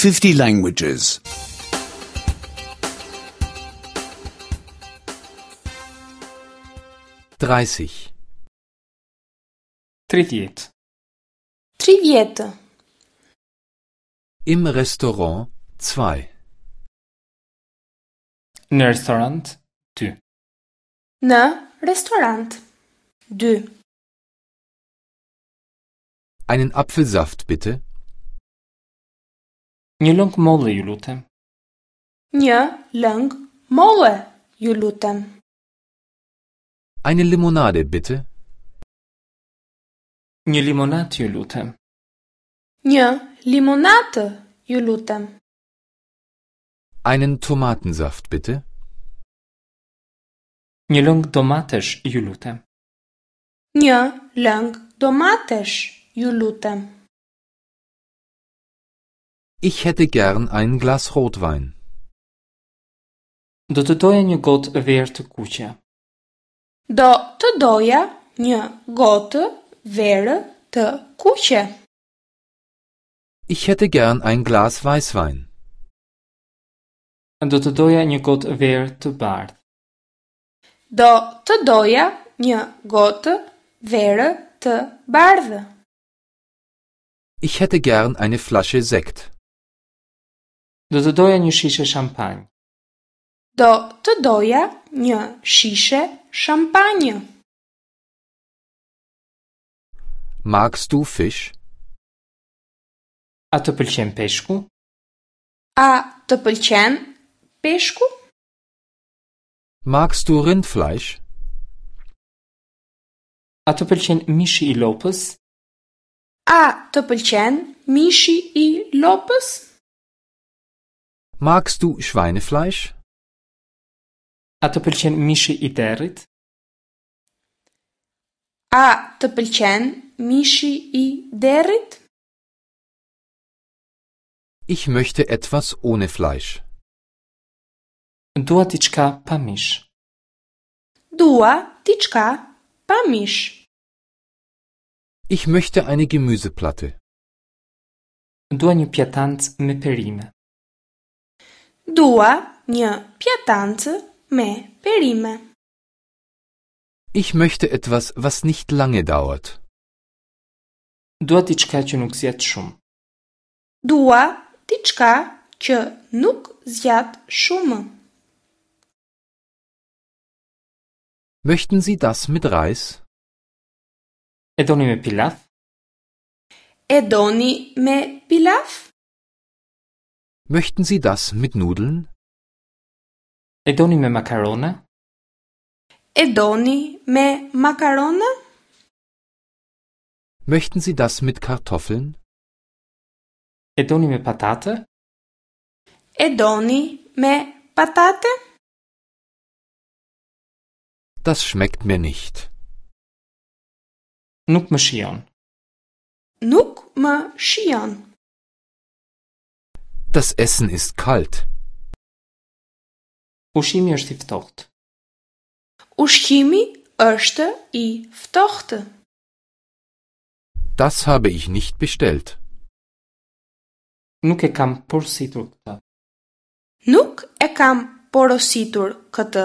50 languages. 30. 30. 30. Im Restaurant 2. Në restorant 2. Në restorant 2. Einen Apfelsaft bitte. Një lëng molle ju lutem. Një lëng molle, ju lutem. Eine Limonade bitte. Një limonat ju lutem. Një limonatë, ju lutem. Einen Tomatensaft bitte. Një lëng domatesh ju lutem. Një lëng domatesh, ju lutem. Ich hätte gern ein Glas Rotwein. Do të doja një gotë verë të kuqe. Do të doja një gotë verë të kuqe. Ich hätte gern ein Glas Weißwein. Do të doja një gotë verë të bardhë. Do të doja një gotë verë të bardhë. Ich hätte gern eine Flasche Sekt. Do të doja një shishe shampanjë. Do të doja një shishe shampanjë. Magst du Fisch? A të pëlqen peshku? A të pëlqen peshku? Magst du Rindfleisch? A të pëlqen mishi i lopës? A të pëlqen mishi i lopës? Magst du Schweinefleisch? A të pëlqen mishi i derrit? A të pëlqen mishi i derrit? Ich möchte etwas ohne Fleisch. Dua diçka pa mish. Dua diçka pa mish. Ich möchte eine Gemüseplatte. Dua një pjatancë me perime. Dua një pjatancë me perime. Ich möchte etwas, was nicht lange dauert. Dua diçka që nuk zgjat shumë. Dua diçka që nuk zgjat shumë. Möchten Sie das mit Reis? E doni me pilaf? E doni me pilaf? Möchten Sie das mit Nudeln? E doni me makarona? E doni me makarona? Möchten Sie das mit Kartoffeln? E doni me patate? E doni me patate? Das schmeckt mir nicht. Nuk më shijon. Nuk më shijon. Das Essen ist kalt. Ushqimi është i ftohtë. Ushqimi është i ftohtë. Das habe ich nicht bestellt. Nuk e kam porositur këtë. Nuk e kam porositur këtë.